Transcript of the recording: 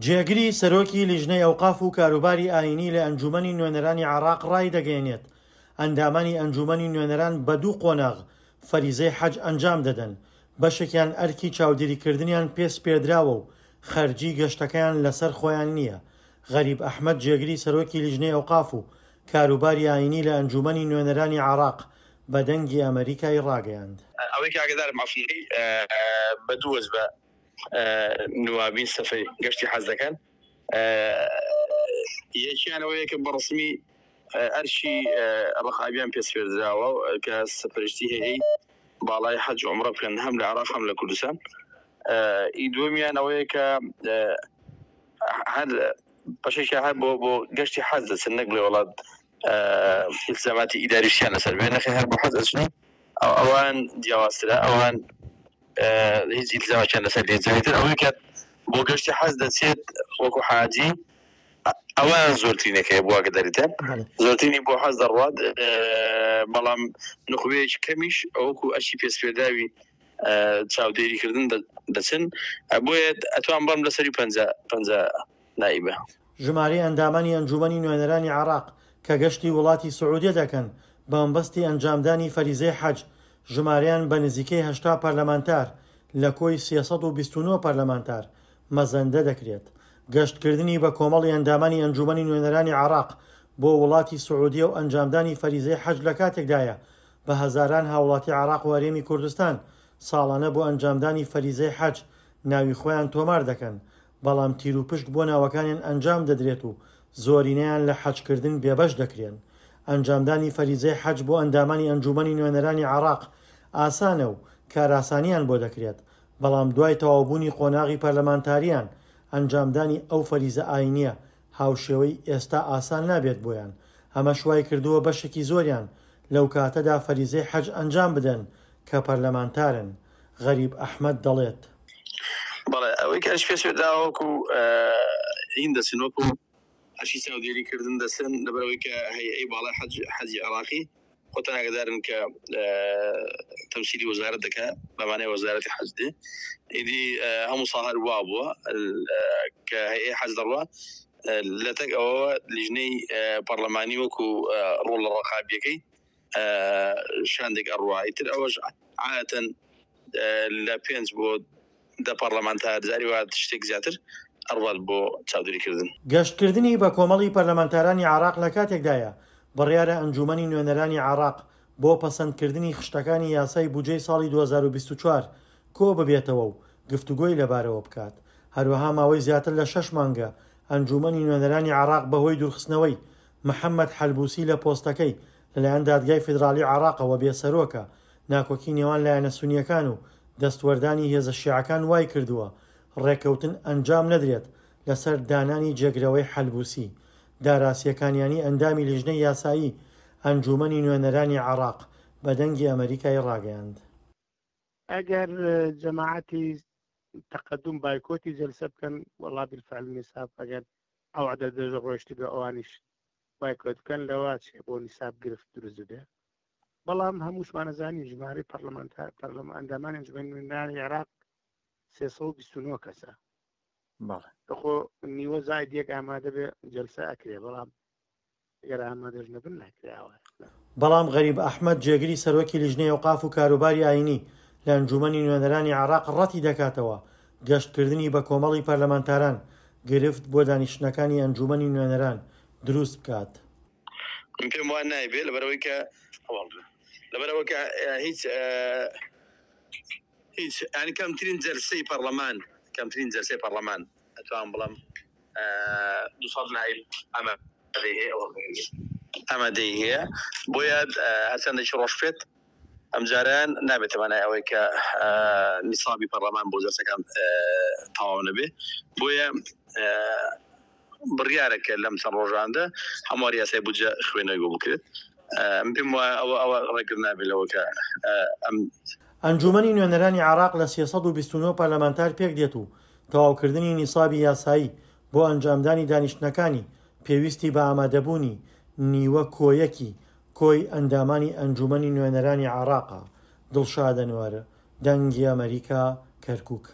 جێگری سەرۆکی لیژنەی ئەوقاف و کاروباری ئایینی لە ئەنجوومەنی نوێنەرانی عێراق ڕایدەگەیەنێت، ئەندامانی ئەنجوومەنی نوێنەران بە دوو قۆناغ فەریزەی حەج ئەنجام دەدەن، بەشێکیان ئەرکی چاودێریکردنیان پێ سپێردراوە و خەرجی گەشتەکەیان لەسەر خۆیان نییە. غەریب ئەحمەد جێگری سەرۆکی لیژنەی ئەوقاف و کاروباری ئایینی لە ئەنجوومەنی نوێنەرانی عێراق بە دەنگی ئەمەریکای ڕاگەیاند. ئەوەی کە ئاگادارم عەفوی بە دوو وەجبە نوابین سەفەری گەشتی حەج دەکەن یەکیان ئەوەیە کە بە ڕەسمی ئەرکی ڕەقابیان پێ سپێردراوە کە سەپەرشتی هەیەی باڵای حەج و عومڕە بکەن هەم لە عێراق هەم لە کوردستان ئی دووەمیان ئەوەیە کە هەر بەشێکیان هەر بۆ بۆ گەشتی حەج دەچن نەک بڵێ وڵات ئیلتزاماتی ئیداریشیان لەسەر بێ نەخێر هەر بۆ حەج ئەچن ئەوان جیاوازترە ئەوان هیچ ئیلتزامێکیان لەسەر نییە جارێتر ئەوەی کە بۆ گەشتی حەج دەچێت وەکو حاجی ئەوان زۆرترینەکەی بۆ ئاگاداریتان زۆرترینی بۆ حەج دەڕوات بەڵام نخبەیەکی کەمیش ئەوەکو ئەرکی پێسپێردراوی چاودێریکردن دەچن بۆیە ئەتوان بڵێم لەسەری 50 نائیبە. ژمارەی ئەندامانی ئەنجوومەنی نوێنەرانی عێراق کە گەشتی وڵاتی سعودیە دەکەن بەمەبەستی ئەنجامدانی فەریزەی حەج، ژمارەیان بە نزیکەی 80 پەرلەمانتار لە کۆی 329 پەرلەمانتار مەزەندە دەکرێت. گەشتکردنی بە کۆمەڵی ئەندامانی ئەنجوومەنی نوێنەرانی عێراق بۆ وڵاتی سعودیە و ئەنجامدانی فەریزەی حەج لە کاتێکدایە بە هەزاران هاوڵاتی عێراق و هەرێمی کوردستان ساڵانە بۆ ئەنجامدانی فەریزەی حەج ناوی خۆیان تۆمار دەکەن، بەڵام تیروپشک بۆ ناوەکانیان ئەنجام دەدرێت و زۆرینەیان لە حەجکردن بێبەش دەکرێن. ئەنجامدانی فەریزەی حەج بۆ ئەندامانی ئەنجوومەنی نوێنەرانی عێراق ئاسانە و کارئاسانییان بۆ دەکرێت، بەڵام دوای تەواوبوونی قۆناغی پەرلەمانتارییان ئەنجامدانی ئەو فەریزە ئاینییە هاوشێوەی ئێستا ئاسان نابێت بۆیان، ئەمەش وایکردووە بەشێکی زۆریان لەوکاتەدا فەریزەی حەج ئەنجام بدەن کە پەرلەمانتارن، غەریب ئەحمەد دەڵێت. بەڵێ ئەوەی کە ئەرکی پێ سپێردراوە وەکو هین دەچن وەکو ئەرکی چاودێری کردن دەچن لەبەرئەوەی کە هەیئەی باڵای حەج حەجی عێراقی خۆتان ئاگادارن کە تەمسیلی وەزارەت دەکا بە مانای وەزارەتی حەج دێ ئیدی هەموو ساڵ هەر وا بووە کە هەیئەی حەج دەڕوا لەتەک ئەوەوە لیژنەی پەڕلەمانی وەکو ڕۆڵە ڕەقابیەکەی شاندێک ئەڕوا ئیتر ئەوەش عادەتەن لە پێنج بۆ دە پەڕلەمانتار جاری وا شتێک زیاتر ئەڕوات بۆ چاودێریکردن. گەشتکردنی بە کۆمەڵی پەرلەمانتارانی عێراق لە کاتێکدایە، بڕیارە ئەنجوومەنی نوێنەرانی عێراق بۆ پەسەندکردنی خشتەکانی یاسای بودجەی ساڵی 2024 کۆببێتەوە و گفتوگۆی لەبارەوە بکات. هەروەها ماوەی زیاتر لە شەش مانگە ئەنجوومەنی نوێنەرانی عێراق بەهۆی دوورخستنەوەی محەمەد حەلبوسی لە پۆستەکەی لەلایەن دادگای فیدراڵی عێراقەوە بێ سەرۆکە، ناکۆکی نێوان لایەنە سونییەکان و دەستوەردانی هێزە شیعەکان وایکردووە ڕێککەوتن ئەنجام نەدرێت لەسەر دانانی جێگرەوەی حەلبوسی. دارا سێکانیانی ئەندامی لیژنەی یاسایی ئەنجوومەنی نوێنەرانی عێراق بە دەنگی ئەمەریکای ڕاگەیاند. ئەگەر جەماعەتی تەقەدوم بایکۆتی جەلسە بکەن وەڵا بالفعل نیساب ئەگەر ئەو عەدەدەش ڕۆیشتبێ ئەوانیش بایکۆت بکەن لەوە چێ بۆ نیساب گرفت دروست بێ بەڵام هەمووشمان ئەزانین ژمارەی پەرلەمانتار پەرلەمان ئەندامانی ئەنجومەنی نوێنەرانی عێراق 329 کەسە بەڵێ خۆ نیوە زاید یەک ئامادە بێ جەلسە ئەکرێ بەڵام ئەگەر ئامادەش نەبن ناکرێ ئاوا. بەڵام غەریب ئەحمەد جێگری سەرۆکی لیژنەی ئەوقاف و کاروباری ئایینی لە ئەنجوومەنی نوێنەرانی عێراق ڕەتی دەکاتەوە گەشتکردنی بە کۆمەڵی پەرلەمانتاران گرفت بۆ دانیشتنەکانی ئەنجوومەنی نوێنەران دروست بکات. من پێم وا نایبێ لەبەرئەوەی کە لەبەرئەوە کە هیچ هیچ یانی کەمترین جەلسەی پەڕلەمان کەمترین جەلسەی پەڕلەمان ئەتوانم بڵێم 200 نائب ئامادەی هەیە ئامادەی هەیە بۆیە هەرچەندێکی ڕۆژ بێت ئەمجارەیان نابێتە مانای ئەوەی کە نیسابی پەرلەمان بۆ جەلسەکان تەواو نەبێ بۆیە بڕیارە کە لەم چەند ڕۆژاندا هەموار یاسای بودجە خوێنەوەی بۆ بکرێت من پێم وایە ئەوە ئەوە ڕێگر نابێت لەوە کە ئەم ئەنجوومەنی نوێنەرانی عێراق لە 329 پەرلەمانتار پێکدێت و تەواوکردنی نیسابی یاسایی بۆ ئەنجامدانی دانیشتنەکانی پێویستی بە ئامادەبوونی نیوە کۆیەکی کۆی ئەندامانی ئەنجوومەنی نوێنەرانی عێراقە. دڵشاد ئەنوەر، دەنگی ئەمەریکا، کەرکوک.